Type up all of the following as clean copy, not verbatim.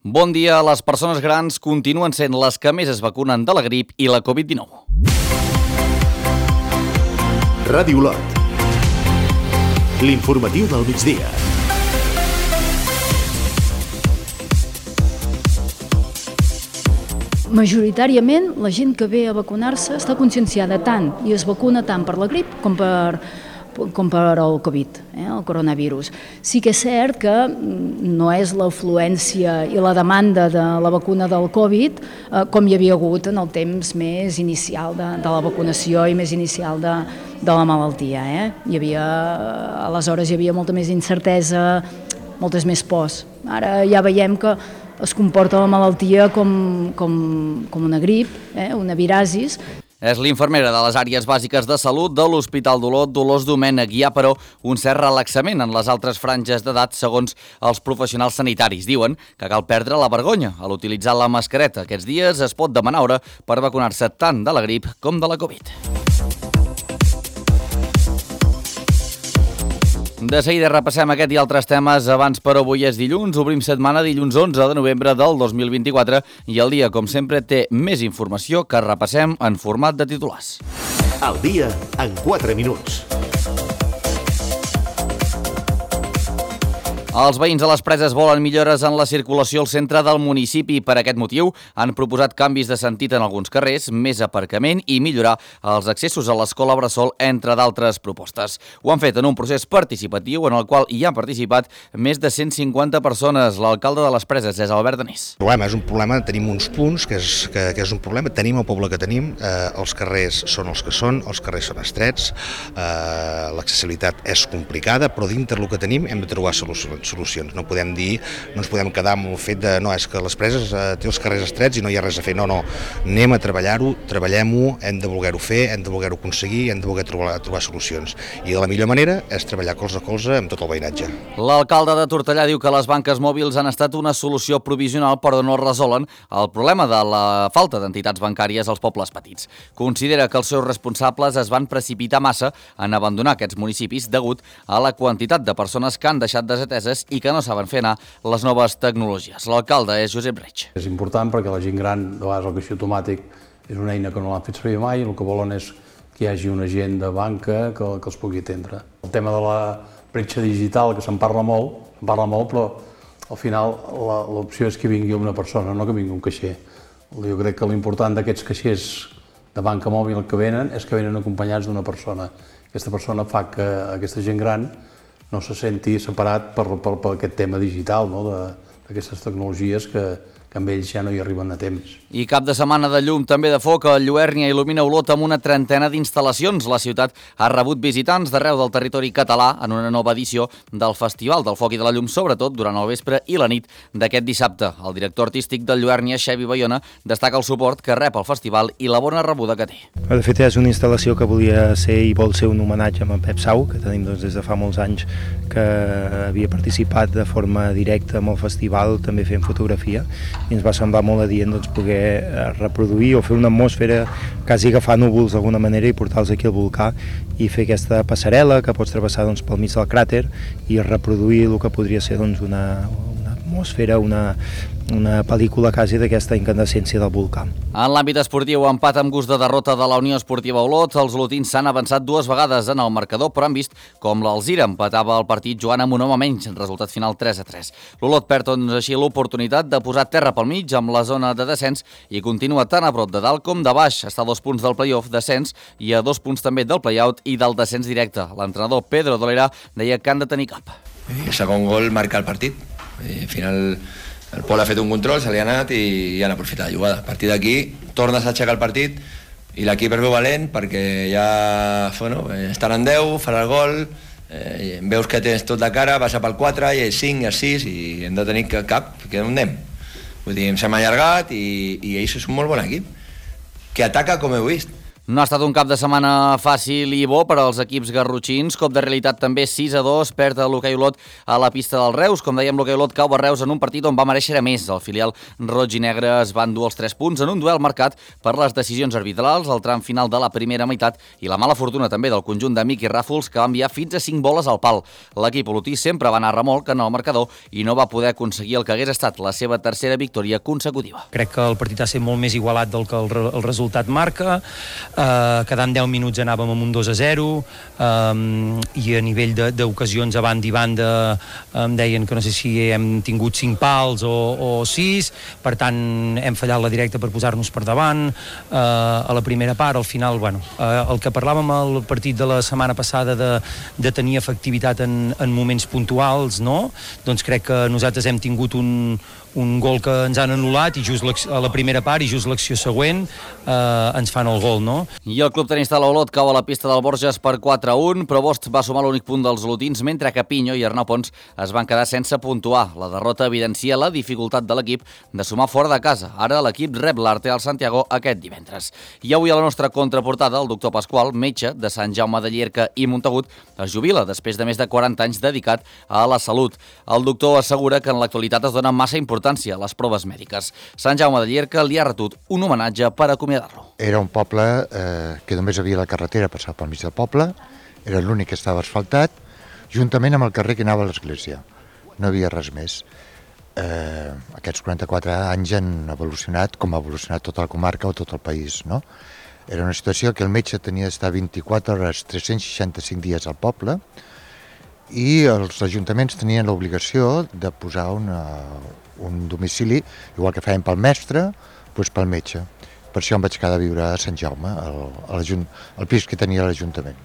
Bon dia. Les persones grans continuen sent les que més es vacunen de la grip i la Covid-19. Ràdio Olot. L'informatiu del migdia. Majoritàriament, la gent que ve a vacunar-se està conscienciada tant i es vacuna tant per la grip com per el Covid, el coronavirus. Sí que és cert que no és l'afluència i la demanda de la vacuna del Covid com hi havia hagut en el temps més inicial de la vacunació i més inicial de la malaltia. Aleshores hi havia molta més incertesa, moltes més pors. Ara ja veiem que es comporta la malaltia com una grip, una virasis. És l'infermera de les àrees bàsiques de salut de l'Hospital d'Olot, Dolors Domènech. Hi ha, però, un cert relaxament en les altres franges d'edat segons els professionals sanitaris. Diuen que cal perdre la vergonya a l'utilitzar la mascareta. Aquests dies es pot demanar hora per vacunar-se tant de la grip com de la Covid. De seguida repassem aquest i altres temes. Abans, però, avui és dilluns. Obrim setmana dilluns 11 de novembre del 2024 i el dia, com sempre, té més informació que repassem en format de titulars. El dia en 4 minuts. Els veïns de les Preses volen millores en la circulació al centre del municipi. Per aquest motiu han proposat canvis de sentit en alguns carrers, més aparcament i millorar els accessos a l'escola Bressol, entre d'altres propostes. Ho han fet en un procés participatiu en el qual hi han participat més de 150 persones. L'alcalde de les Preses és Albert Danés. És un problema, tenim uns punts que és un problema, tenim el poble que tenim, els carrers són els que són, els carrers són estrets, l'accessibilitat és complicada, però dintre del que tenim hem de trobar solucions. No podem dir, no ens podem quedar amb el fet de no, és que les Preses té els carrers estrets i no hi ha res a fer. No, anem a treballar-ho, treballem-ho, hem de voler-ho fer, hem de voler-ho aconseguir, hem de voler trobar solucions. I de la millor manera és treballar colze a colze amb tot el veïnatge. L'alcalde de Tortellà diu que les banques mòbils han estat una solució provisional però no resolen el problema de la falta d'entitats bancàries als pobles petits. Considera que els seus responsables es van precipitar massa en abandonar aquests municipis degut a la quantitat de persones que han deixat desateses i que no saben fer anar les noves tecnologies. L'alcalde és Josep Reig. És important perquè la gent gran, de vegades el caixer automàtic és una eina que no l'han fet servir mai i el que volen és que hi hagi un agent de banca que els pugui atendre. El tema de la bretxa digital, que se'n parla molt, però al final l'opció és que vingui una persona, no que vingui un caixer. Jo crec que l'important d'aquests caixers de banca mòbil que venen és que venen acompanyats d'una persona. Aquesta persona fa que aquesta gent gran no se senti separat per aquest tema digital, d'aquestes tecnologies que amb ells ja no hi arriben a temps. I cap de setmana de llum, també de foc, a Lluèrnia il·lumina Olot amb una trentena d'instal·lacions. La ciutat ha rebut visitants d'arreu del territori català en una nova edició del Festival del Foc i de la Llum, sobretot durant el vespre i la nit d'aquest dissabte. El director artístic de Lluèrnia, Xevi Bayona, destaca el suport que rep el festival i la bona rebuda que té. De fet, és una instal·lació que volia ser i vol ser un homenatge a en Pep Sau, que tenim des de fa molts anys que havia participat de forma directa en el festival, també fent fotografia, i ens va semblar molt adient poder reproduir o fer una atmosfera, quasi agafar núvols d'alguna manera i portar-los aquí al volcà i fer aquesta passarel·la que pots travessar pel mig del cràter i reproduir el que podria ser una atmosfera, una pel·lícula quasi d'aquesta incandescència del volcà. En l'àmbit esportiu, empat amb gust de derrota de la Unió Esportiva Olot. Els olotins s'han avançat 2 vegades en el marcador, però han vist com l'Alzira empatava el partit jugant amb un home menys, resultat final 3-3. L'Olot perd així l'oportunitat de posar terra pel mig amb la zona de descens i continua tan a prop de dalt com de baix. Està a 2 punts del play-off descens i a 2 punts també del play-out i del descens directe. L'entrenador Pedro Dolera deia que han de tenir cap. El segon gol marca el partit. Al final el Pol ha fet un control, se li ha anat i han aprofitat la jugada. A partir d'aquí tornes a aixecar el partit i l'equip es veu valent perquè ja estan en 10, farà el gol, veus que tens tot de cara, vas pel 4 i el 5 i el 6 i hem de tenir cap, que on anem? Vull dir, ens hem allargat i ells són un molt bon equip, que ataca com heu vist. No ha estat un cap de setmana fàcil i bo per als equips garrotxins. Cop de realitat també 6-2, perd l'Hoquei Olot a la pista del Reus. Com dèiem, l'Hoquei Olot cau a Reus en un partit on va mereixer més. El filial roig i negre es va endur els 3 punts en un duel marcat per les decisions arbitrals, el tram final de la primera meitat i la mala fortuna també del conjunt de Miqui Ràfols, que va enviar fins a 5 boles al pal. L'equip olotí sempre va anar a remolc en el marcador i no va poder aconseguir el que hagués estat la seva tercera victòria consecutiva. Crec que el partit ha estat molt més igualat del que el resultat marca. Quedant 10 minuts anàvem amb un 2-0 i a nivell d'ocasions a banda i banda em deien que no sé si hem tingut 5 pals o 6, per tant hem fallat la directa per posar-nos per davant a la primera part. Al final, el que parlàvem al partit de la setmana passada de tenir efectivitat en moments puntuals, no? Doncs crec que nosaltres hem tingut un gol que ens han anul·lat i just a la primera part i just l'acció següent ens fan el gol, no? I el club tenista de l'Olot cau a la pista del Borges per 4-1, però Bost va sumar l'únic punt dels olotins, mentre que Pinyo i Arnau Pons es van quedar sense puntuar. La derrota evidencia la dificultat de l'equip de sumar fora de casa. Ara l'equip rep l'Arte al Santiago aquest divendres. I avui a la nostra contraportada, el doctor Pasqual, metge de Sant Jaume de Llierca i Montagut, es jubila després de més de 40 anys dedicat a la salut. El doctor assegura que en l'actualitat es dona massa importància a les proves mèdiques. Sant Jaume de Llierca li ha retut un homenatge per acomiadar-lo. Era un poble que només havia la carretera passar pel mig del poble, era l'únic que estava asfaltat, juntament amb el carrer que anava a l'església. No havia res més. Aquests 44 anys han evolucionat com ha evolucionat tota la comarca o tot el país, no? Era una situació que el metge tenia d'estar 24 hores, 365 dies al poble, i els ajuntaments tenien l'obligació de posar un domicili, igual que feien pel mestre, doncs pel metge. Per això em vaig quedar a viure a Sant Jaume, al pis que tenia l'Ajuntament.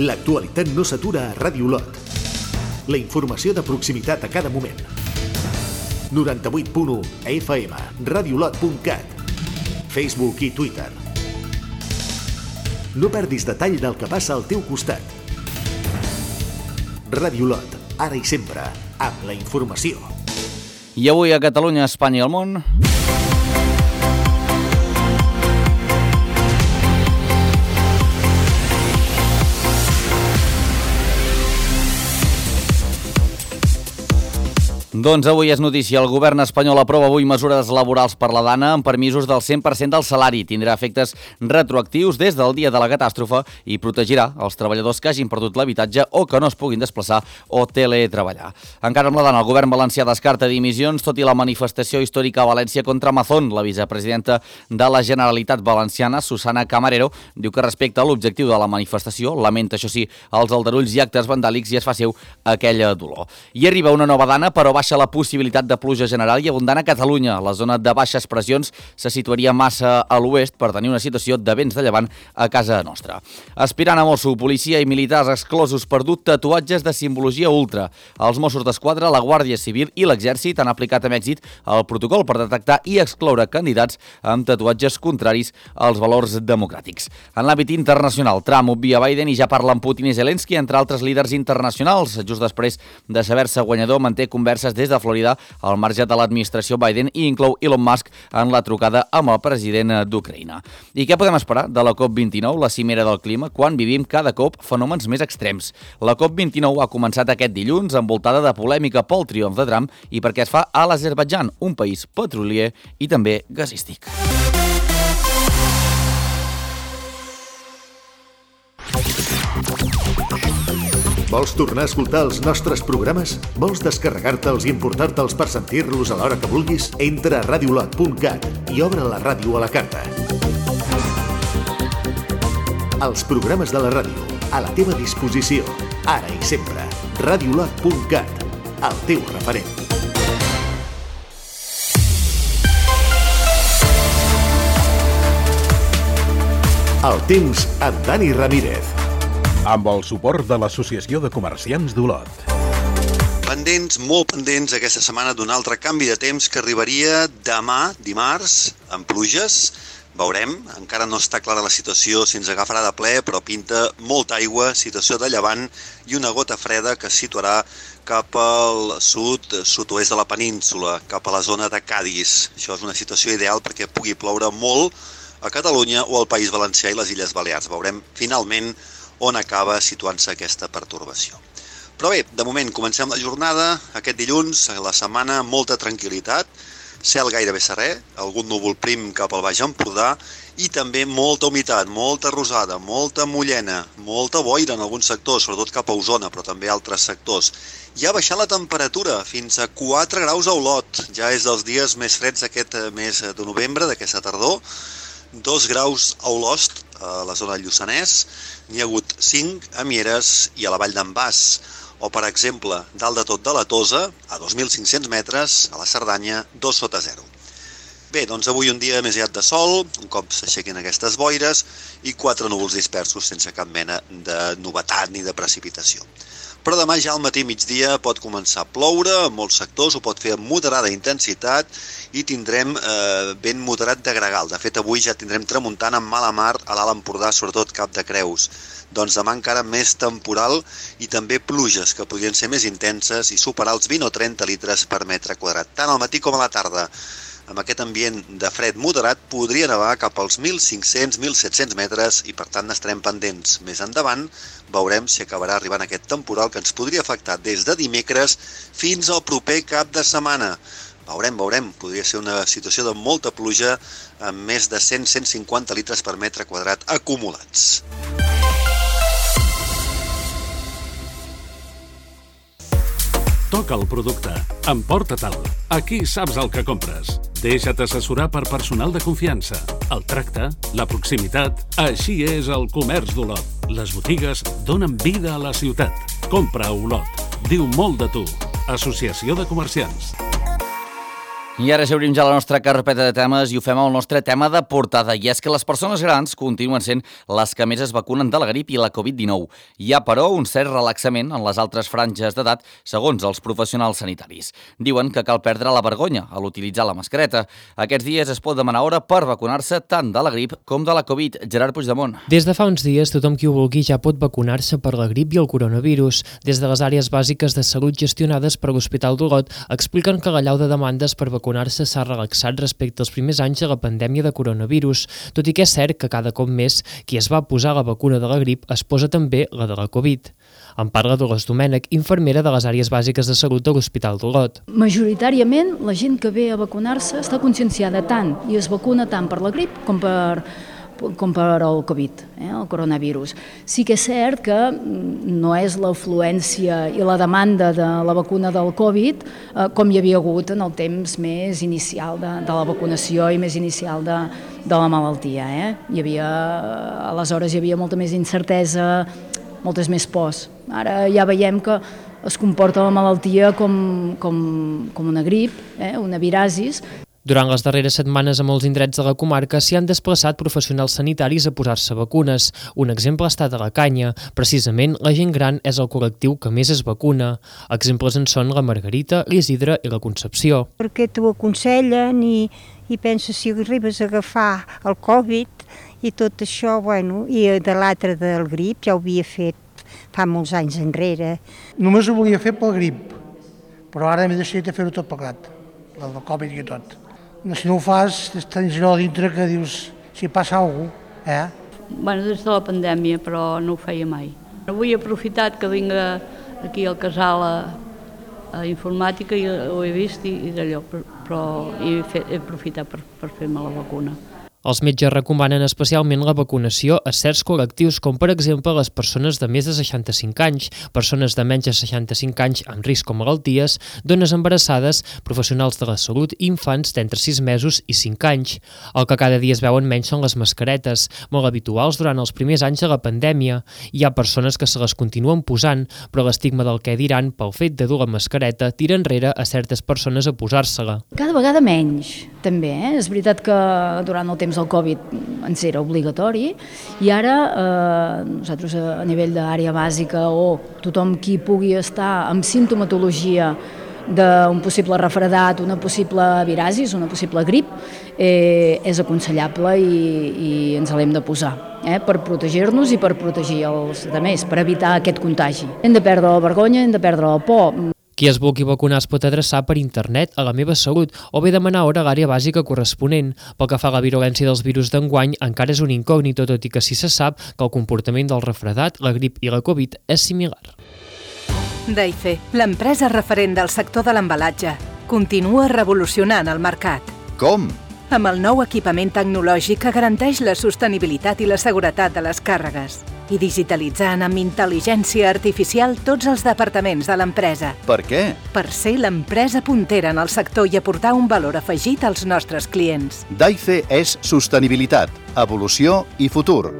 L'actualitat no s'atura a Ràdio Olot. La informació de proximitat a cada moment. 98.1 FM, radiolot.cat, Facebook i Twitter. No perdis detall del que passa al teu costat. Ràdio Olot, ara i sempre, amb la informació. I avui a Catalunya, Espanya i el món... Doncs avui és notícia. El govern espanyol aprova avui mesures laborals per la Dana amb permisos del 100% del salari. Tindrà efectes retroactius des del dia de la catàstrofe i protegirà els treballadors que hagin perdut l'habitatge o que no es puguin desplaçar o teletreballar. Encara amb la Dana, el govern valencià descarta dimissions, tot i la manifestació històrica a València contra Amazon. La vicepresidenta de la Generalitat Valenciana, Susana Camarero, diu que respecte a l'objectiu de la manifestació, lamenta, això sí, els aldarulls i actes vandàlics i es fa seu aquella dolor. I arriba una nova Dana, però baixa la possibilitat de pluja general i abundant a Catalunya. La zona de baixes pressions se situaria massa a l'oest per tenir una situació de vents de llevant a casa nostra. Aspirant a mosso, policia i militars exclosos per dur tatuatges de simbologia ultra. Els Mossos d'Esquadra, la Guàrdia Civil i l'Exèrcit han aplicat amb èxit el protocol per detectar i excloure candidats amb tatuatges contraris als valors democràtics. En l'àmbit internacional, Trump obvia Biden i ja parla amb Putin i Zelensky, entre altres líders internacionals. Just després de saber-se guanyador, manté converses des de Florida al marge de l'administració Biden i inclou Elon Musk en la trucada amb el president d'Ucraïna. I què podem esperar de la COP29, la cimera del clima, quan vivim cada cop fenòmens més extrems? La COP29 ha començat aquest dilluns envoltada de polèmica pel triomf de Trump i perquè es fa a l'Azerbaidjan, un país petrolier i també gasístic. Vols tornar a escoltar els nostres programes? Vols descarregar-te'ls i emportar-te'ls per sentir-los a l'hora que vulguis? Entra a radiolot.cat i obre la ràdio a la carta. Els programes de la ràdio, a la teva disposició, ara i sempre. Radiolot.cat, el teu referent. El temps amb Dani Ramírez. Amb el suport de l'Associació de Comerciants d'Olot. Pendents, molt pendents aquesta setmana d'un altre canvi de temps que arribaria demà, dimarts, amb pluges, Veurem, encara no està clara la situació si ens agafarà de ple, però pinta molta aigua, situació de llevant i una gota freda que es situarà cap al sud-oest de la península, cap a la zona de Cadis. Això és una situació ideal perquè pugui ploure molt a Catalunya o al País Valencià i les Illes Balears. Veurem finalment on acaba situant-se aquesta pertorbació. Però bé, de moment comencem la jornada, aquest dilluns, la setmana, molta tranquil·litat, cel gairebé serè, algun núvol prim cap al Baix Empordà i també molta humitat, molta rosada, molta mullena, molta boira en alguns sectors, sobretot cap a Osona, però també altres sectors. Ja ha baixat la temperatura fins a 4 graus a Olot, ja és dels dies més freds d'aquest mes de novembre, d'aquesta tardor, 2 graus a Olost, a la zona del Lluçanès, n'hi ha hagut 5 a Mieres i a la Vall d'en Bas, o, per exemple, dalt de tot de la Tosa, a 2.500 metres, a la Cerdanya, 2 sota 0. Bé, doncs avui un dia més aviat de sol, un cop s'aixequin aquestes boires, i 4 núvols dispersos sense cap mena de novetat ni de precipitació. Però demà ja al matí migdia pot començar a ploure, en molts sectors ho pot fer amb moderada intensitat i tindrem vent moderat de gregal. De fet, avui ja tindrem tramuntant amb mala mar a l'Alt Empordà, sobretot Cap de Creus. Doncs demà encara més temporal i també pluges que podrien ser més intenses i superar els 20 o 30 litres per metre quadrat, tant al matí com a la tarda. Amb aquest ambient de fred moderat podria nevar cap als 1.500-1.700 metres i per tant n'estarem pendents. Més endavant veurem si acabarà arribant aquest temporal que ens podria afectar des de dimecres fins al proper cap de setmana. Veurem. Podria ser una situació de molta pluja amb més de 100-150 litres per metre quadrat acumulats. Toca el producte. Emporta-te'l. Aquí saps el que compres. Deixa't assessorar per personal de confiança. El tracte, la proximitat, així és el comerç d'Olot. Les botigues donen vida a la ciutat. Compra a Olot. Diu molt de tu. Associació de Comerciants. I ara ja obrim ja la nostra carpeta de temes i ho fem amb el nostre tema de portada. I és que les persones grans continuen sent les que més es vacunen de la grip i la Covid-19. Hi ha, però, un cert relaxament en les altres franges d'edat, segons els professionals sanitaris. Diuen que cal perdre la vergonya a l'utilitzar la mascareta. Aquests dies es pot demanar hora per vacunar-se tant de la grip com de la Covid. Gerard Puigdemont. Des de fa uns dies, tothom qui ho vulgui ja pot vacunar-se per la grip i el coronavirus. Des de les àrees bàsiques de salut gestionades per l'Hospital d'Olot expliquen que l'allau de demandes per vacunar-se s'ha relaxat respecte als primers anys de la pandèmia de coronavirus, tot i que és cert que cada cop més qui es va posar la vacuna de la grip es posa també la de la Covid. En parla Dolors Domènech, infermera de les àrees bàsiques de salut de l'Hospital d'Olot. Majoritàriament la gent que ve a vacunar-se està conscienciada tant i es vacuna tant per la grip com per el Covid, el coronavirus. Sí que és cert que no és l'afluència i la demanda de la vacuna del Covid com hi havia hagut en el temps més inicial de la vacunació i més inicial de la malaltia. Aleshores hi havia molta més incertesa, moltes més pors. Ara ja veiem que es comporta la malaltia com una grip, una virasis. Durant les darreres setmanes a molts indrets de la comarca s'hi han desplaçat professionals sanitaris a posar-se vacunes. Un exemple ha estat a la Canya. Precisament, la gent gran és el col·lectiu que més es vacuna. Exemples en són la Margarita, l'Isidre i la Concepció. Perquè t'ho aconsellen i penses si arribes a agafar el Covid i tot això, i de l'altre del grip ja ho havia fet fa molts anys enrere. Només ho volia fer pel grip, però ara m'he decidit a fer-ho tot plegat, el del Covid i tot. Si no ho fas, tens allò dintre que dius, si passa alguna cosa, Des de la pandèmia, però no ho feia mai. Avui he aprofitat que vinc aquí al casal a informàtica i ho he vist i d'allò, però he aprofitat per fer-me la vacuna. Els metges recomanen especialment la vacunació a certs col·lectius, com per exemple les persones de més de 65 anys, persones de menys de 65 anys amb risc o malalties, dones embarassades, professionals de la salut i infants d'entre 6 mesos i 5 anys. El que cada dia es veuen menys són les mascaretes, molt habituals durant els primers anys de la pandèmia. Hi ha persones que se les continuen posant, però l'estigma del què diran pel fet de dur la mascareta tira enrere a certes persones a posar-se-la. Cada vegada menys, també. És veritat que durant el temps del Covid ens era obligatori i ara nosaltres a nivell d'àrea bàsica o tothom qui pugui estar amb simptomatologia d'un possible refredat, una possible virasis, una possible grip, és aconsellable i ens l'hem de posar per protegir-nos i per protegir els altres, per evitar aquest contagi. Hem de perdre la vergonya, hem de perdre la por. Qui es vulgui vacunar es pot adreçar per internet a La Meva Salut o bé demanar hora a l'àrea bàsica corresponent. Pel que fa a la virulència dels virus d'enguany, encara és un incògnit, tot i que sí se sap que el comportament del refredat, la grip i la Covid és similar. Daife, l'empresa referent del sector de l'embalatge, continua revolucionant el mercat. Com? Amb el nou equipament tecnològic que garanteix la sostenibilitat i la seguretat de les càrregues i digitalitzant amb intel·ligència artificial tots els departaments de l'empresa. Per què? Per ser l'empresa puntera en el sector i aportar un valor afegit als nostres clients. Daife és sostenibilitat, evolució i futur.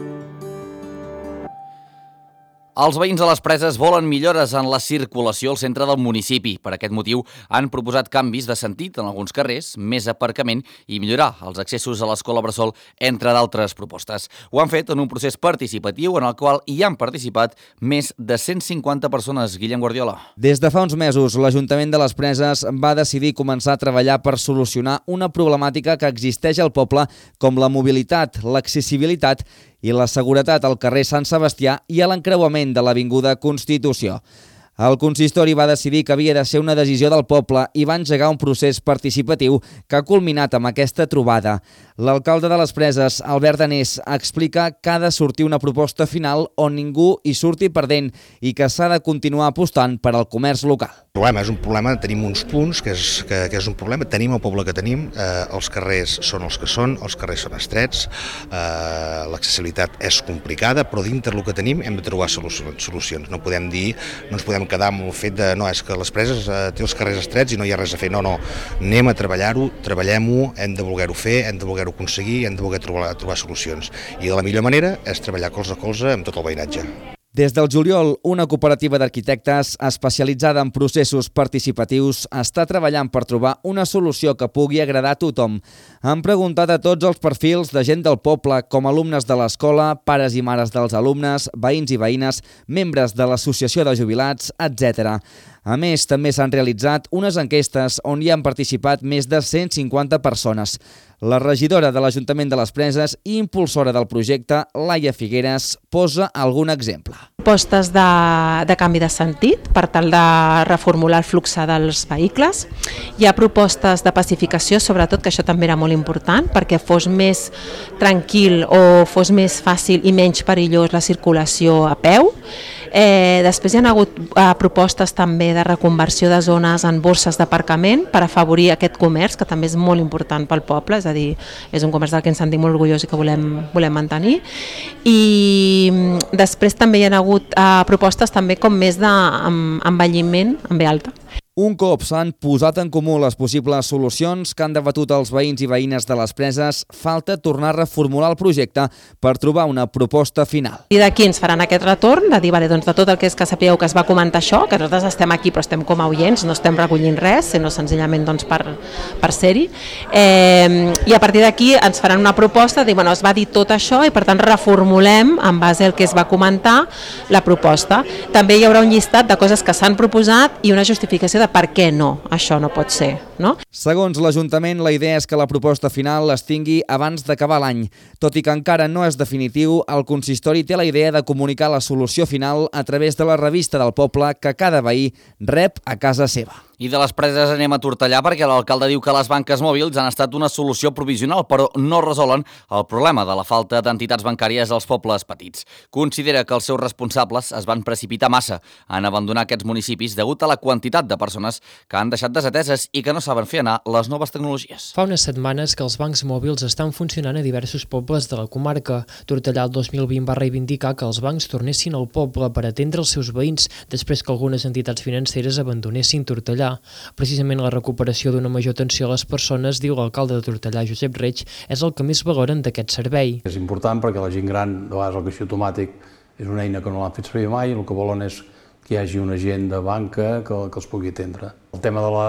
Els veïns de les Preses volen millores en la circulació al centre del municipi. Per aquest motiu han proposat canvis de sentit en alguns carrers, més aparcament i millorar els accessos a l'escola bressol, entre d'altres propostes. Ho han fet en un procés participatiu en el qual hi han participat més de 150 persones. Guillem Guardiola. Des de fa uns mesos, l'Ajuntament de les Preses va decidir començar a treballar per solucionar una problemàtica que existeix al poble, com la mobilitat, l'accessibilitat i la seguretat al carrer Sant Sebastià i a l'encreuament de l'Avinguda Constitució. El consistori va decidir que havia de ser una decisió del poble i va engegar un procés participatiu que ha culminat amb aquesta trobada. L'alcalde de les Preses, Albert Danés, explica que ha de sortir una proposta final on ningú hi surti perdent i que s'ha de continuar apostant per al comerç local. El problema és un problema, tenim uns punts que és un problema, tenim el poble que tenim, els carrers són els que són, els carrers són estrets, l'accessibilitat és complicada, però dintre del que tenim hem de trobar solucions. No podem dir, no ens podem quedar amb el fet de no, és que les Preses té els carrers estrets i no hi ha res a fer. No, anem a treballar-ho, treballem-ho, hem de voler-ho fer, hem de voler-ho aconseguir, hem de voler trobar solucions. I la millor manera és treballar colze a colze amb tot el veïnatge. Des del juliol, una cooperativa d'arquitectes especialitzada en processos participatius està treballant per trobar una solució que pugui agradar a tothom. Han preguntat a tots els perfils de gent del poble, com alumnes de l'escola, pares i mares dels alumnes, veïns i veïnes, membres de l'associació de jubilats, etc. A més, també s'han realitzat unes enquestes on hi han participat més de 150 persones. La regidora de l'Ajuntament de les Preses i impulsora del projecte, Laia Figueres, posa algun exemple. Propostes de canvi de sentit per tal de reformular el flux dels vehicles. Hi ha propostes de pacificació, sobretot, que això també era molt important, perquè fos més tranquil o fos més fàcil i menys perillós la circulació a peu. Després hi ha hagut propostes també de reconversió de zones en borses d'aparcament per afavorir aquest comerç, que també és molt important pel poble, és a dir, és un comerç del que ens sentim molt orgullosos i que volem mantenir. I després també hi ha hagut propostes també com més d'envelliment en B alta. Un cop s'han posat en comú les possibles solucions que han debatut els veïns i veïnes de les Preses, falta tornar a reformular el projecte per trobar una proposta final. I d'aquí ens faran aquest retorn de dir, doncs de tot el que és que sapigueu que es va comentar això, que nosaltres estem aquí però estem com a oients, no estem recollint res, sinó senzillament per ser-hi. I a partir d'aquí ens faran una proposta de dir, es va dir tot això i per tant reformulem en base al que es va comentar la proposta. També hi haurà un llistat de coses que s'han proposat i una justificació de per què no, això no pot ser, no? Segons l'Ajuntament, la idea és que la proposta final es tingui abans d'acabar l'any. Tot i que encara no és definitiu, el consistori té la idea de comunicar la solució final a través de la revista del poble que cada veí rep a casa seva. I de les Preses anem a Tortellà perquè l'alcalde diu que les banques mòbils han estat una solució provisional, però no resolen el problema de la falta d'entitats bancàries als pobles petits. Considera que els seus responsables es van precipitar massa en abandonar aquests municipis degut a la quantitat de persones que han deixat desateses i que no saben fer anar les noves tecnologies. Fa unes setmanes que els bancs mòbils estan funcionant a diversos pobles de la comarca. Tortellà el 2020 va reivindicar que els bancs tornessin al poble per atendre els seus veïns després que algunes entitats financeres abandonessin Tortellà. Precisament la recuperació d'una major atenció a les persones, diu l'alcalde de Tortellà, Josep Reig, és el que més valoren d'aquest servei. És important perquè la gent gran, de vegades el caixer automàtic és una eina que no l'han fet servir mai, el que volen és que hi hagi un agent de banca que els pugui atendre. El tema de la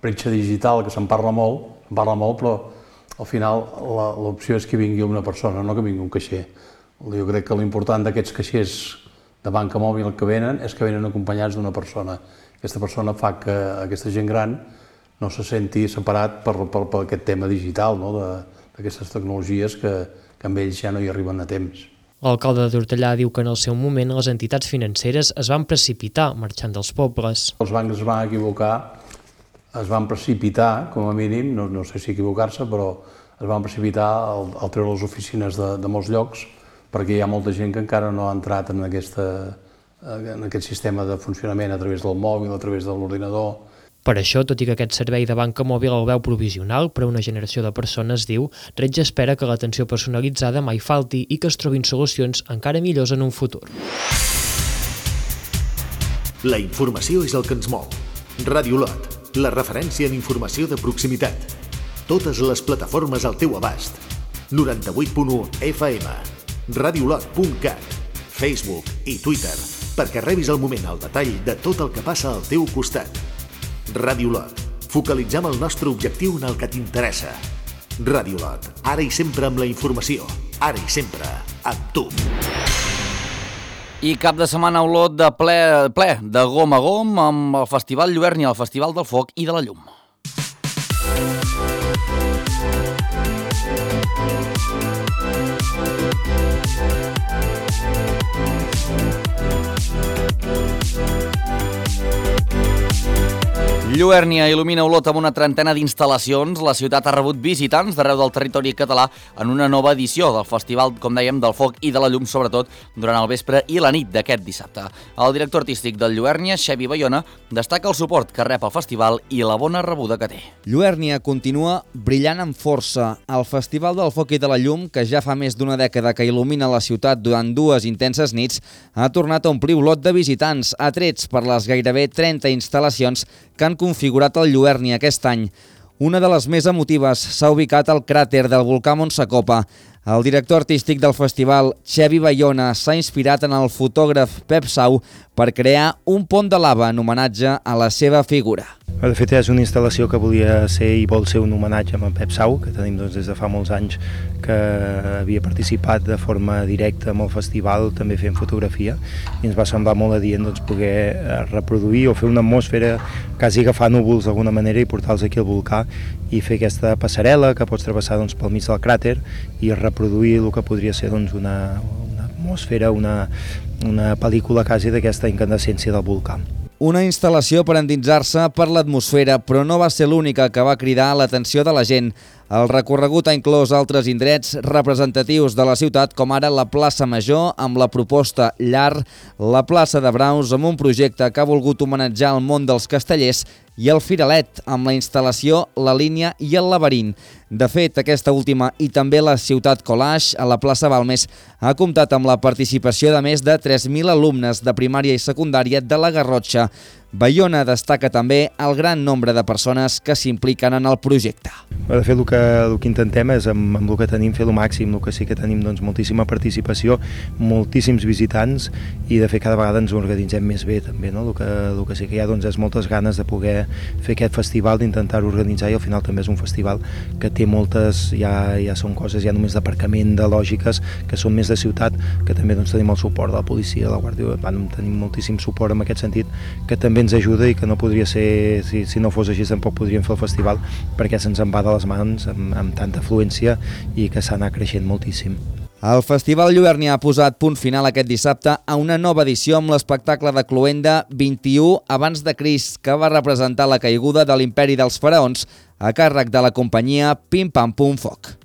bretxa digital, que se'n parla molt, però al final l'opció és que vingui una persona, no que vingui un caixer. Jo crec que l'important d'aquests caixers de banca mòbil que venen és que venen acompanyats d'una persona Aquesta persona fa que aquesta gent gran no se senti separat per aquest tema digital, no? D'aquestes tecnologies que amb ells ja no hi arriben a temps. L'alcalde de Tortellà diu que en el seu moment les entitats financeres es van precipitar marxant dels pobles. Els bancs es van equivocar, es van precipitar, com a mínim, no sé si equivocar-se, però es van precipitar al treure les oficines de molts llocs, perquè hi ha molta gent que encara no ha entrat en aquest sistema de funcionament a través del mòbil, a través de l'ordinador. Per això, tot i que aquest servei de banca mòbil el veu provisional per a una generació de persones, diu, Retge espera que l'atenció personalitzada mai falti i que es trobin solucions encara millors en un futur. La informació és el que ens mou. Ràdio Lot, la referència en informació de proximitat. Totes les plataformes al teu abast. 98.1 FM, radiolot.cat, Facebook i Twitter, perquè rebis al moment el detall de tot el que passa al teu costat. Ràdio Lot, focalitzem el nostre objectiu en el que t'interessa. Ràdio Lot, ara i sempre amb la informació, ara i sempre amb tu. I cap de setmana a Olot de ple de gom a gom amb el Festival Lluernia, el Festival del Foc i de la Llum. Lluernia il·lumina Olot amb una trentena d'instal·lacions. La ciutat ha rebut visitants d'arreu del territori català en una nova edició del Festival, com dèiem, del Foc i de la Llum, sobretot durant el vespre i la nit d'aquest dissabte. El director artístic del Lluernia, Xavi Bayona, destaca el suport que rep el festival i la bona rebuda que té. Lluernia continua brillant amb força. El Festival del Foc i de la Llum, que ja fa més d'una dècada que il·lumina la ciutat durant 2 intenses nits, ha tornat a omplir Olot de visitants, atrets per les gairebé 30 instal·lacions que han configurat el Lluernia aquest any. Una de les més emotives s'ha ubicat al cràter del volcà Montsacopa. El director artístic del festival, Xavi Bayona, s'ha inspirat en el fotògraf Pep Sau per crear un pont de lava en homenatge a la seva figura. De fet, és una instal·lació que volia ser i vol ser un homenatge a Pep Sau, que tenim des de fa molts anys que havia participat de forma directa amb el festival, també fent fotografia, i ens va semblar molt adient poder reproduir o fer una atmosfera, quasi agafar núvols d'alguna manera i portar-los aquí al volcà i fer aquesta passarel·la que pots travessar pel mig del cràter i reproduir el que podria ser una atmosfera, una pel·lícula quasi d'aquesta incandescència del volcà. Una instal·lació per endinsar-se per l'atmosfera, però no va ser l'única que va cridar l'atenció de la gent. El recorregut ha inclòs altres indrets representatius de la ciutat, com ara la plaça Major, amb la proposta Llar, la plaça de Braus, amb un projecte que ha volgut homenatjar el món dels castellers, i el Firalet, amb la instal·lació La Línia i el Laberint. De fet, aquesta última i també la Ciutat Collage, a la plaça Balmes, ha comptat amb la participació de més de 3.000 alumnes de primària i secundària de la Garrotxa. Bayona destaca també el gran nombre de persones que s'impliquen en el projecte. De fet, el que intentem és, amb el que tenim, fer el màxim. El que sí que tenim moltíssima participació, moltíssims visitants, i de fet cada vegada ens organitzem més bé també. El que sí que hi ha és moltes ganes de poder fer aquest festival, d'intentar-ho organitzar, i al final també és un festival que té moltes, ja són coses ja només d'aparcament, de lògiques, que són més de ciutat, que també tenim el suport de la policia, de la Guàrdia Urbana, tenim moltíssim suport en aquest sentit, que també ens ajuda i que no podria ser, si no fos així tampoc podríem fer el festival, perquè se'ns en va de les mans amb tanta afluència i que s'ha anat creixent moltíssim. El Festival Lluernia ha posat punt final aquest dissabte a una nova edició amb l'espectacle de Cloenda 21 abans de Crist, que va representar la caiguda de l'imperi dels faraons a càrrec de la companyia Pim Pam Pum Foc.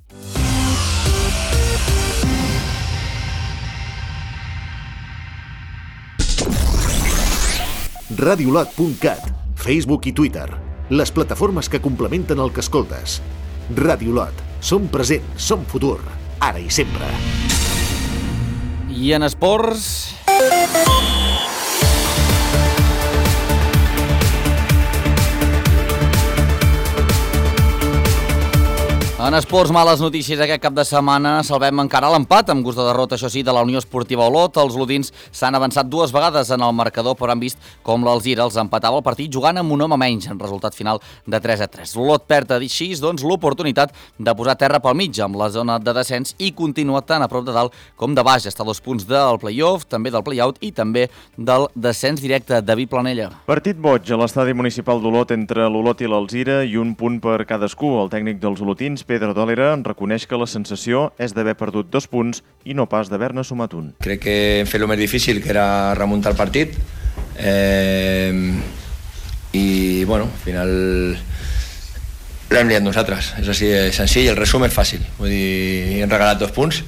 Radiolot.cat, Facebook i Twitter, les plataformes que complementen el que escoltes. Ràdio Lot, som present, som futur, ara i sempre. I en esports... En esports, males notícies aquest cap de setmana. Salvem encara l'empat amb gust de derrota, això sí, de la Unió Esportiva Olot. Els olotins s'han avançat 2 vegades en el marcador, però han vist com l'Alzira els empatava el partit jugant amb un home menys, en resultat final de 3-3. L'Olot perd així, doncs, l'oportunitat de posar terra pel mig amb la zona de descens i continua tan a prop de dalt com de baix. Està a 2 punts del play-off, també del play-out i també del descens directe. David Planella. Partit boig a l'estadi municipal d'Olot entre l'Olot i l'Alzira i un punt per cadascú. El tècnic dels olotins, Pedro Dòlera, reconeix que la sensació és d'haver perdut 2 punts i no pas d'haver-ne sumat un. Crec que hem fet el més difícil, que era remuntar el partit. I, bueno, al final l'hem liat nosaltres. És així de senzill, el resum és fàcil. Vull dir, hem regalat 2 punts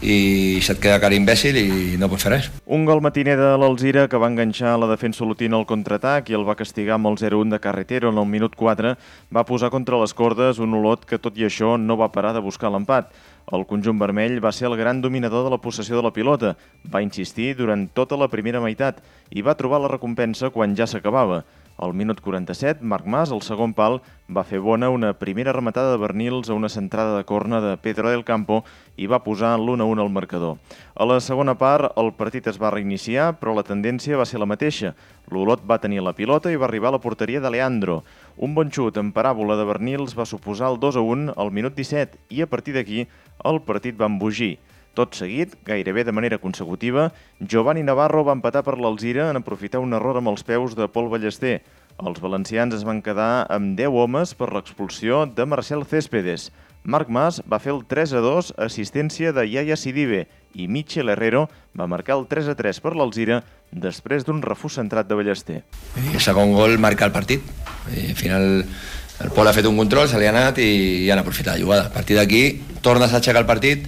i se't queda cara imbècil i no pots fer res. Un gol matiner de l'Alzira que va enganxar la defensa olotina al contraatac i el va castigar amb el 0-1 de Carretero en el minut 4, va posar contra les cordes un Olot que tot i això no va parar de buscar l'empat. El conjunt vermell va ser el gran dominador de la possessió de la pilota, va insistir durant tota la primera meitat i va trobar la recompensa quan ja s'acabava. Al minut 47, Marc Mas, al segon pal, va fer bona una primera rematada de Bernils a una centrada de corna de Pedro del Campo i va posar l'1-1 al marcador. A la segona part, el partit es va reiniciar, però la tendència va ser la mateixa. L'Olot va tenir la pilota i va arribar a la porteria de Leandro. Un bon xut en paràbola de Bernils va suposar el 2-1 al minut 17 i a partir d'aquí el partit va embogir. Tot seguit, gairebé de manera consecutiva, Giovanni Navarro va empatar per l'Alzira en aprofitar un error amb els peus de Pol Ballester. Els valencians es van quedar amb 10 homes per l'expulsió de Marcel Céspedes. Marc Mas va fer el 3-2, assistència de Yaya Sidibe, i Michel Herrero va marcar el 3-3 per l'Alzira després d'un refús centrat de Ballester. El segon gol marca el partit. Al final el Pol ha fet un control, se li ha anat i han aprofitat la jugada. A partir d'aquí tornes a aixecar el partit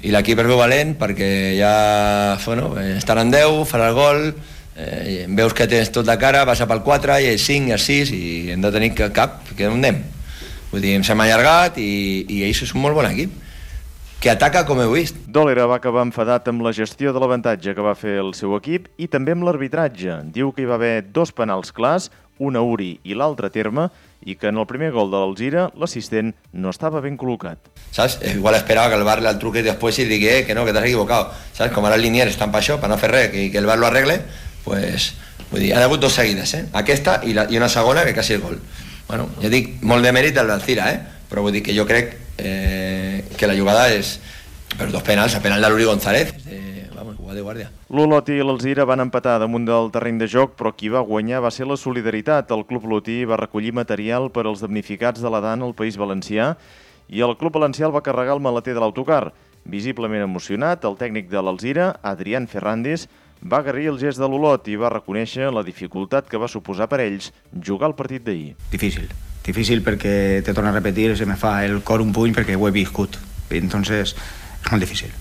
i l'equip es veu valent perquè ja estan en 10, farà el gol, veus que tens tot de cara, passa pel 4 i el 5 i el 6 i hem de tenir cap, que on anem? Vull dir, ens hem allargat i ells és un molt bon equip que ataca com heu vist. Dòlera va acabar enfadat amb la gestió de l'avantatge que va fer el seu equip i també amb l'arbitratge. Diu que hi va haver 2 penals clars, un a Uri i l'altre a Terme, i que en el primer gol de l'Alzira l'assistent no estava ben col·locat. ¿Sabes? Igual esperaba que el VAR le al truque después y diga que no, que te has equivocado. ¿Sabes? Como ara els liniers estan per això, per no fer res, que el VAR lo arregle, pues, vull dir, han hagut 2 seguides, aquesta i una segona que quasi el gol. Bueno, ja dic, molt de mèrit el d'Alzira, però vull dir que jo crec que la jugada és per 2 penals, el penal de l'Uri González, de guàrdia. L'Olot i l'Alzira van empatar damunt del terreny de joc, però qui va guanyar va ser la solidaritat. El Club Olotí va recollir material per als damnificats de la DAN al País Valencià i el Club Valencià el va carregar el maleter de l'autocar. Visiblement emocionat, el tècnic de l'Alzira, Adrián Ferrandis, va agrair el gest de l'Olot i va reconèixer la dificultat que va suposar per ells jugar el partit d'ahir. Difícil perquè, te torno a repetir, se me fa el cor un puny perquè ho he viscut. Entonces, és molt difícil.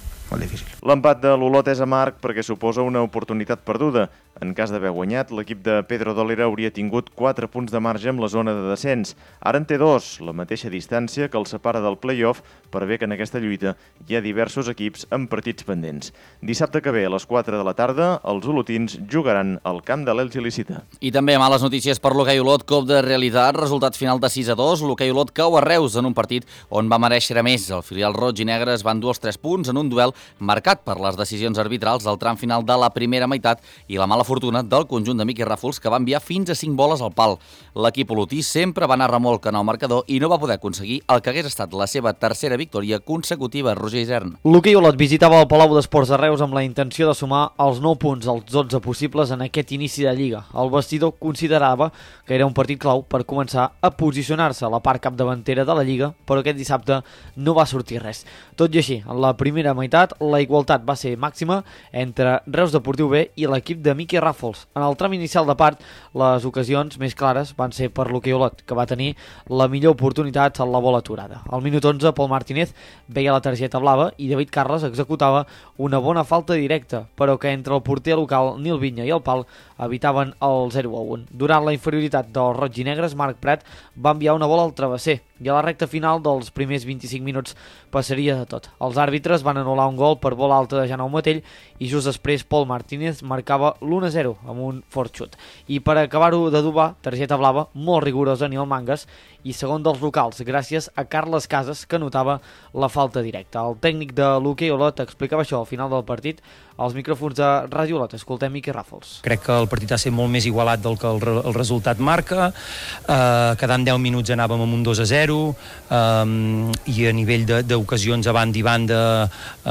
L'empat de l'Olot és amarg perquè suposa una oportunitat perduda. En cas d'haver guanyat, l'equip de Pedro Dòlera hauria tingut 4 punts de marge amb la zona de descens. Ara en té 2, la mateixa distància que el separa del play-off, per bé que en aquesta lluita hi ha diversos equips amb partits pendents. Dissabte que ve, a les 4 de la tarda, els olotins jugaran al camp de l'Elx il·lícita. I també males notícies per l'Hoquei Olot, cop de realitat, resultat final de 6-2. L'Hoquei Olot cau a Reus en un partit on va mereixer més. El filial roig i negre es van dur els 3 punts en un duel marcat per les decisions arbitrals del tram final de la primera meitat i la mala fortuna del conjunt de Miqui Ràfols, que va enviar fins a 5 boles al pal. L'equip olotí sempre va anar remolc en el marcador i no va poder aconseguir el que hagués estat la seva tercera victòria consecutiva. Roger Isern. L'Hoquei Olot visitava el Palau d'Esports de Reus amb la intenció de sumar els 9 punts als 12 possibles en aquest inici de Lliga. El vestidor considerava que era un partit clau per començar a posicionar-se a la part capdavantera de la Lliga, però aquest dissabte no va sortir res. Tot i així, en la primera meitat, la igualtat va ser màxima entre Reus Deportiu B i l'equip de Miqui Ràfols. En el tram inicial de part, les ocasions més clares van ser per l'Hoquei Olot, que va tenir la millor oportunitat en la bola aturada. Al minut 11, Pol Martínez veia la targeta blava i David Carles executava una bona falta directa, però que entre el porter local Nil Vinya i el pal evitaven el 0-1. Durant la inferioritat dels roig i negres, Marc Prat va enviar una bola al travesser, i a la recta final dels primers 25 minuts passaria de tot. Els àrbitres van anul·lar un gol per bola alta de Jaume Matell i just després Pol Martínez marcava l'1-0 amb un fort xut. I per acabar-ho d'adobar, targeta blava molt rigorosa a Nil Mangas i segon dels locals, gràcies a Carles Casas, que notava la falta directa. El tècnic de l'Hoquei Olot explicava això al final del partit als micròfons de Ràdio Olot. Escoltem Miqui Ràfols. Crec que el partit ha estat molt més igualat del que el resultat marca. Quedant 10 minuts anàvem amb un 2-0 i a nivell d'ocasions a banda i banda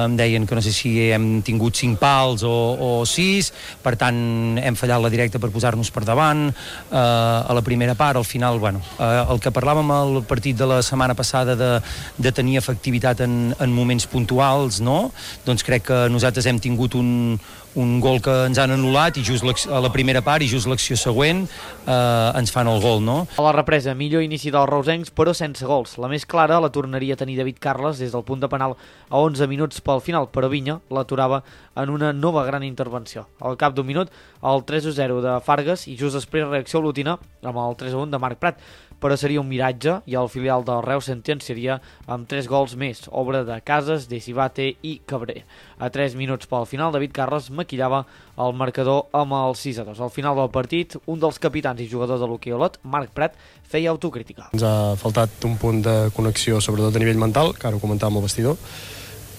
em deien que no sé si hem tingut 5 pals o 6, per tant hem fallat la directa per posar-nos per davant a la primera part. Al final, el que parlàvem al partit de la setmana passada de tenir efectivitat en moments puntuals, no? Doncs crec que nosaltres hem tingut un gol que ens han anul·lat i just a la primera part i just l'acció següent ens fan el gol, no? A la represa, millor inici dels reusencs, però sense gols. La més clara la tornaria a tenir David Carles des del punt de penal a 11 minuts pel final, però Vinya l'aturava en una nova gran intervenció. Al cap d'un minut, el 3-0 de Fargas i just després reacció olotina amb el 3-1 de Marc Prat. Però seria un miratge i el filial del Reus sentenciaria amb 3 gols més, obra de Casas, de Cibate i Cabré. A 3 minuts pel final, David Carles maquillava el marcador amb el 6-2. Al final del partit, un dels capitans i jugadors de l'Hoquei Olot, Marc Prat, feia autocrítica. Ens ha faltat un punt de connexió, sobretot a nivell mental, que ara ho comentàvem al vestidor,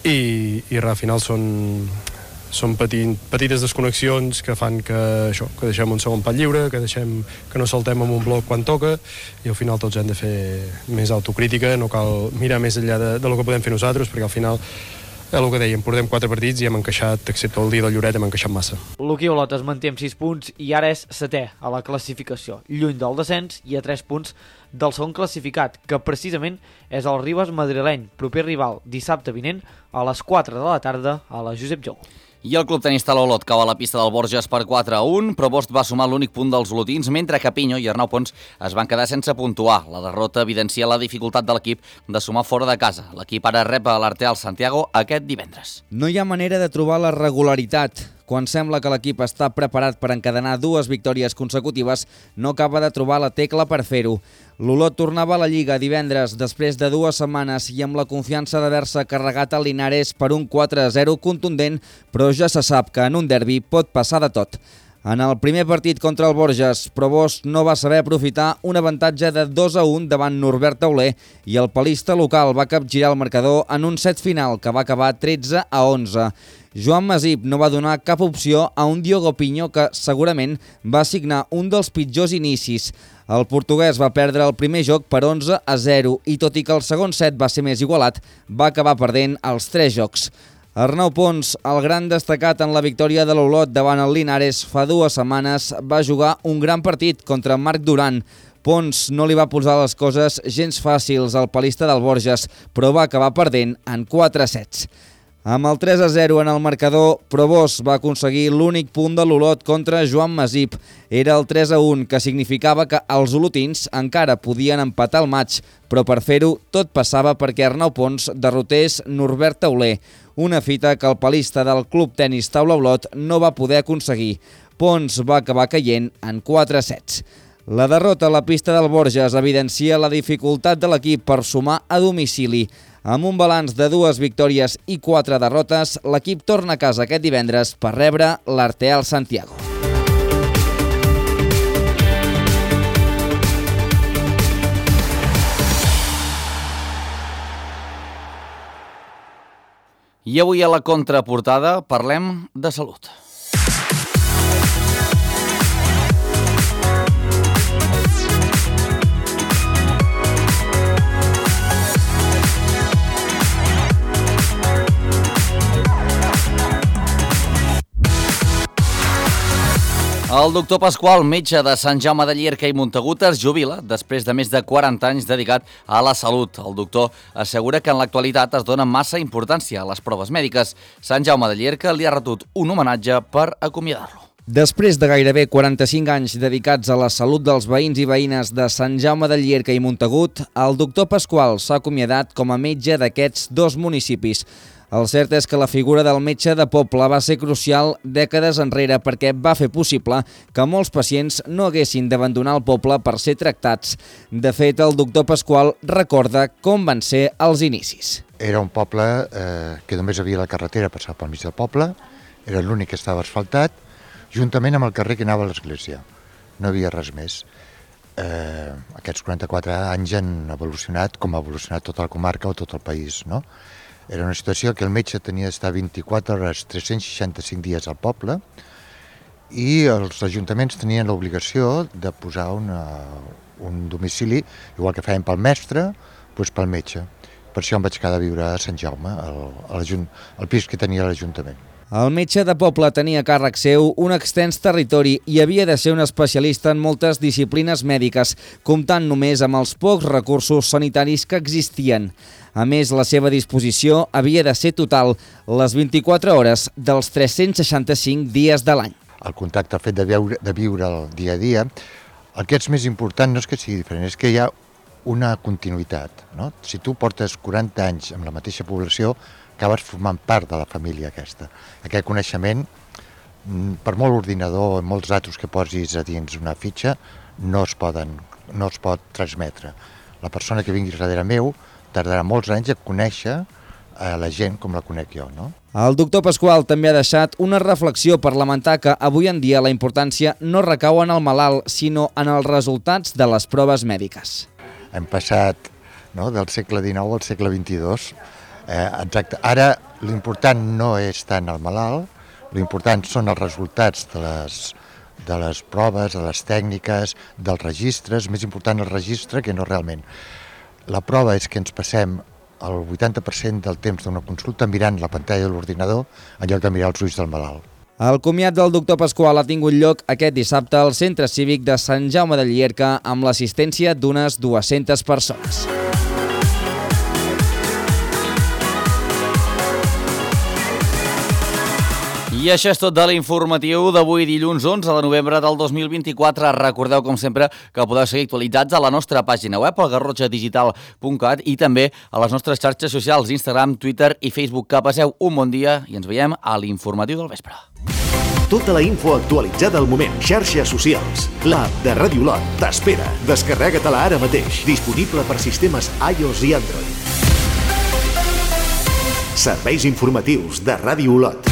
i al final són petites desconnexions que fan que deixem un segon pal lliure, que no saltem amb un bloc quan toca, i al final tots hem de fer més autocrítica, no cal mirar més enllà del que podem fer nosaltres, perquè al final és el que dèiem, portem 4 partits i hem encaixat, excepte el dia del Lloret, hem encaixat massa. L'Hoquei Olot es manté amb 6 punts i ara és 7è a la classificació, lluny del descens i a 3 punts del segon classificat, que precisament és el Ribes madrileny, proper rival dissabte vinent a les 4 de la tarda a la Josep Jou. I el club tenista l'Olot cau a la pista del Borges per 4-1. Provost va sumar l'únic punt dels olotins, mentre que Pinyo i Arnau Pons es van quedar sense puntuar. La derrota evidencia la dificultat de l'equip de sumar fora de casa. L'equip ara rep a l'Arteal Santiago aquest divendres. No hi ha manera de trobar la regularitat. Quan sembla que l'equip està preparat per encadenar 2 victòries consecutives, no acaba de trobar la tecla per fer-ho. L'Olot tornava a la Lliga divendres després de 2 setmanes i amb la confiança d'haver-se carregat a Linares per un 4-0 contundent, però ja se sap que en un derbi pot passar de tot. En el primer partit contra el Borges, Provost no va saber aprofitar un avantatge de 2-1 davant Norbert Tauler i el palista local va capgirar el marcador en un set final que va acabar 13-11. Joan Masip no va donar cap opció a un Diogo Pinyo que segurament va signar un dels pitjors inicis. El portuguès va perdre el primer joc per 11-0 i tot i que el segon set va ser més igualat, va acabar perdent els 3 jocs. Arnau Pons, el gran destacat en la victòria de l'Olot davant el Linares fa 2 setmanes, va jugar un gran partit contra Marc Duran. Pons no li va posar les coses gens fàcils al palista del Borges, però va acabar perdent en 4 sets. Amb el 3-0 en el marcador, Provost va aconseguir l'únic punt de l'Olot contra Joan Masip. Era el 3-1, que significava que els olotins encara podien empatar el maig, però per fer-ho tot passava perquè Arnau Pons derrotés Norbert Tauler, una fita que el palista del Club Tenis Taula Olot no va poder aconseguir. Pons va acabar caient en 4 sets. La derrota a la pista del Borges evidencia la dificultat de l'equip per sumar a domicili. Amb un balanç de 2 victòries i 4 derrotes, l'equip torna a casa aquest divendres per rebre l'Arteal Santiago. I avui a la contraportada parlem de salut. El doctor Pasqual, metge de Sant Jaume de Llierca i Montagut, es jubila després de més de 40 anys dedicat a la salut. El doctor assegura que en l'actualitat es dona massa importància a les proves mèdiques. Sant Jaume de Llierca li ha retut un homenatge per acomiadar-lo. Després de gairebé 45 anys dedicats a la salut dels veïns i veïnes de Sant Jaume de Llierca i Montagut, el doctor Pasqual s'ha acomiadat com a metge d'aquests 2 municipis. El cert és que la figura del metge de poble va ser crucial dècades enrere perquè va fer possible que molts pacients no haguessin d'abandonar el poble per ser tractats. De fet, el doctor Pasqual recorda com van ser els inicis. Era un poble que només havia la carretera passar pel mig del poble, era l'únic que estava asfaltat, juntament amb el carrer que anava a l'església. No havia res més. Aquests 44 anys han evolucionat com ha evolucionat tota la comarca o tot el país, no? Era una situació que el metge tenia d'estar 24 hores, 365 dies al poble i els ajuntaments tenien l'obligació de posar un domicili, igual que feien pel mestre, doncs pel metge. Per això em vaig quedar a viure a Sant Jaume, al pis que tenia l'Ajuntament. El metge de poble tenia a càrrec seu un extens territori i havia de ser un especialista en moltes disciplines mèdiques, comptant només amb els pocs recursos sanitaris que existien. A més, la seva disposició havia de ser total, les 24 hores dels 365 dies de l'any. El contacte, el fet de viure el dia a dia, el que és més important no és que sigui diferent, és que hi ha una continuïtat, no? Si tu portes 40 anys amb la mateixa població, acabes formant part de la família aquesta. Aquest coneixement, per molt ordinador i molts datos que posis a dins una fitxa, no es pot transmetre. La persona que vingui darrere meu tardarà molts anys a conèixer la gent com la conec jo, no? El doctor Pasqual també ha deixat una reflexió per lamentar que avui en dia la importància no recau en el malalt, sinó en els resultats de les proves mèdiques. Hem passat del segle XIX al segle XXII. Exacte. Ara l'important no és tant el malalt, l'important són els resultats de les proves, de les tècniques, dels registres, més important el registre que no realment. La prova és que ens passem el 80% del temps d'una consulta mirant la pantalla de l'ordinador en lloc de mirar els ulls del malalt. El comiat del doctor Pasqual ha tingut lloc aquest dissabte al Centre Cívic de Sant Jaume de Llierca amb l'assistència d'unes 200 persones. I això és tot de l'informatiu d'avui dilluns 11 de novembre del 2024. Recordeu, com sempre, que podeu seguir actualitzats a la nostra pàgina web, al garrotxadigital.cat, i també a les nostres xarxes socials, Instagram, Twitter i Facebook. Que passeu un bon dia i ens veiem a l'informatiu del vespre. Tota la info actualitzada al moment. Xarxes socials. L'app de Ràdio Lot t'espera. Descarrega-te-la ara mateix. Disponible per sistemes iOS i Android. Serveis informatius de Ràdio Lot.